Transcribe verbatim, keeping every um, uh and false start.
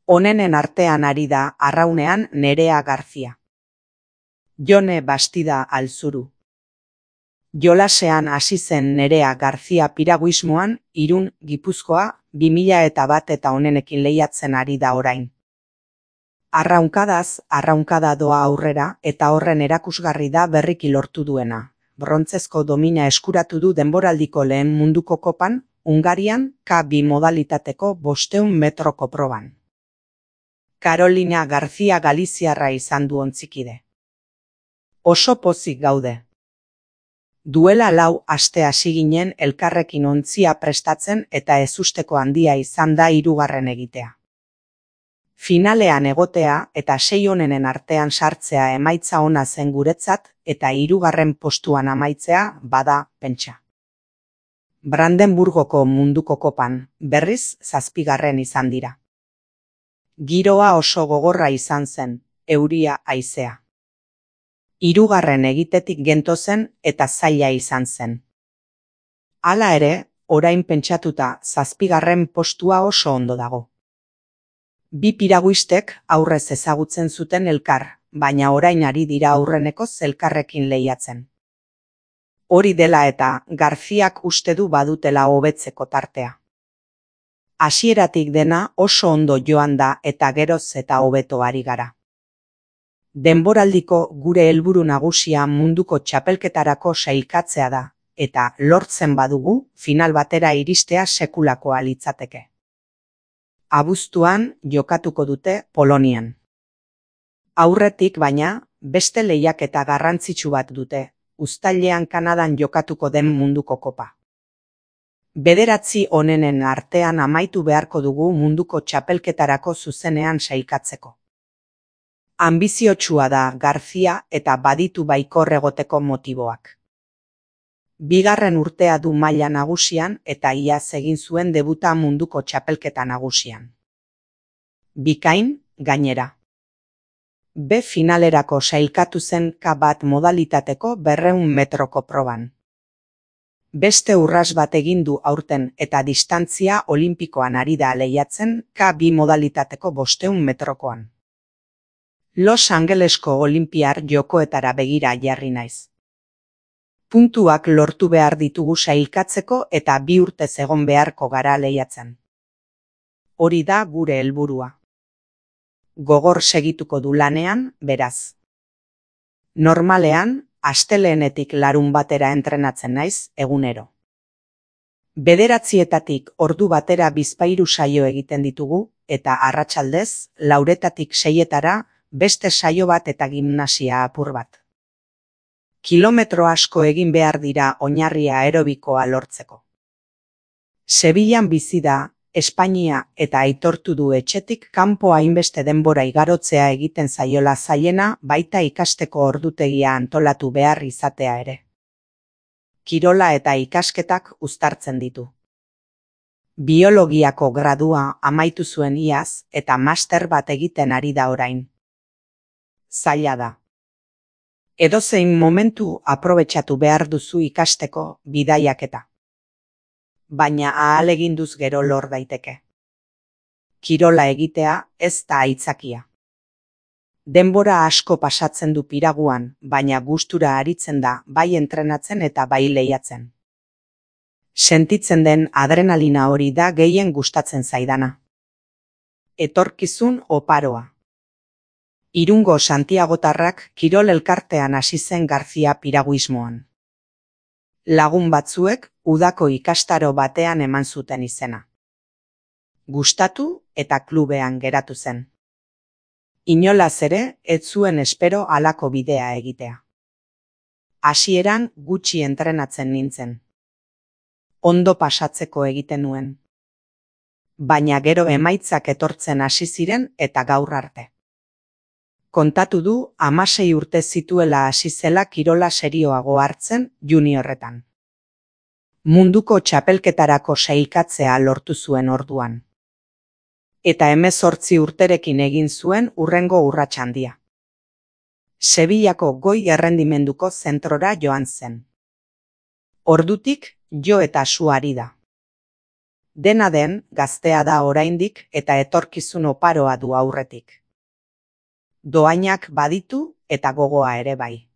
Onenen artean ari da arraunean Nerea Garzia. Jone Bastida Alzuru. Jolasean hasi zen Nerea Garzia piraguismoan, Irun, Gipuzkoa, bi mila eta bat eta onenekin lehiatzen ari da orain. Arraunkadaz, arraunkada doa aurrera eta horren erakusgarri da berriki lortu duena. Brontzezko domina eskuratu du denboraldiko lehen munduko kopan, Hungarian K bi modalitateko bosteun metroko proban. Carolina Garzia Galiziarra izan du ontzikide. Oso pozik gaude. Duela lau aste hasi ginen elkarrekin ontzia prestatzen eta ezusteko handia izan da hirugarren egitea. Finalean egotea eta sei onenen artean sartzea emaitza ona zen guretzat eta hirugarren postuan amaitzea bada pentsa. Brandenburgoko munduko kopan, berriz zazpigarren izan dira. Giroa oso gogorra izan zen, euria haizea. Hirugarren egitetik gentozen eta zaila izan zen. Hala ere, orain pentsatuta zazpigarren postua oso ondo dago. Bi piraguistek aurrez ezagutzen zuten elkar, baina orain ari dira aurrenekoz elkarrekin lehiatzen. Hori dela eta Garziak uste du badutela hobetzeko tartea. Hasieratik dena oso ondo joan da eta geroz eta hobeto ari gara. Denboraldiko gure helburu nagusia munduko txapelketarako sailkatzea da, eta lortzen badugu final batera iristea sekulakoa litzateke. Abuztuan jokatuko dute Polonian. Aurretik baina, beste lehiaketa garrantzitsu bat dute, uztailean Kanadan jokatuko den munduko kopa. Bederatzi onenen artean amaitu beharko dugu munduko txapelketarako zuzenean sailkatzeko. Ambiziotsua da Garzia eta baditu baikor egoteko motiboak. Bigarren urtea du maila nagusian eta iaz egin zuen debuta munduko txapelketa nagusian. Bikain, gainera. B finalerako sailkatu zen K bat modalitateko berrehun metroko proban. Beste urras bat egin du aurten eta distantzia olimpikoan ari da lehiatzen K bi modalitateko bosteun metrokoan. Los Angelesko Olinpiar jokoetara begira jarri naiz. Puntuak lortu behar ditugu sailkatzeko eta bi urtez egon beharko gara lehiatzen. Hori da gure helburua. Gogor segituko du lanean, beraz. Normalean, asteleenetik larun batera entrenatzen naiz egunero. Bederatzietatik ordu batera bizpahiru saio egiten ditugu eta arratsaldez, lauretatik seietara beste saio bat eta gimnasia apur bat. Kilometro asko egin behar dira oinarria aerobikoa lortzeko. Sevillan bizi da, Espainia eta aitortu du etxetik kanpo hainbeste denbora igarotzea egiten zaiola zailena baita ikasteko ordutegia antolatu behar izatea ere. Kirola eta ikasketak uztartzen ditu. Biologiako gradua amaitu zuen iaz eta master bat egiten ari da orain. Zaila da. Edozein momentu aprobetxatu behar duzu ikasteko bidaiaketa. Baina ahaleginduz gero lor daiteke. Kirola egitea ez da aitzakia. Denbora asko pasatzen du piraguan, baina gustura aritzen da bai entrenatzen eta bai lehiatzen. Sentitzen den adrenalina hori da gehien gustatzen zaidana. Etorkizun oparoa. Irungo Santiagotarrak kirol elkartean hasi zen Garzia piraguismoan. Lagun batzuek udako ikastaro batean eman zuten izena. Gustatu eta klubean geratu zen. Inolaz ere, ez zuen espero halako bidea egitea. Hasieran gutxi entrenatzen nintzen. Ondo pasatzeko egiten nuen. Baina gero emaitzak etortzen hasi ziren eta gaur arte. Kontatu du hamasei urte zituela hasi zela kirola serioago hartzen juniorretan. Munduko txapelketarako sailkatzea lortu zuen orduan. Eta hemezortzi urterekin egin zuen hurrengo urrats handia. Sevillako goi errendimenduko zentrora joan zen. Ordutik jo eta su ari da. Dena den, gaztea da oraindik eta etorkizun oparoa du aurretik. Dohainak baditu eta gogoa ere bai.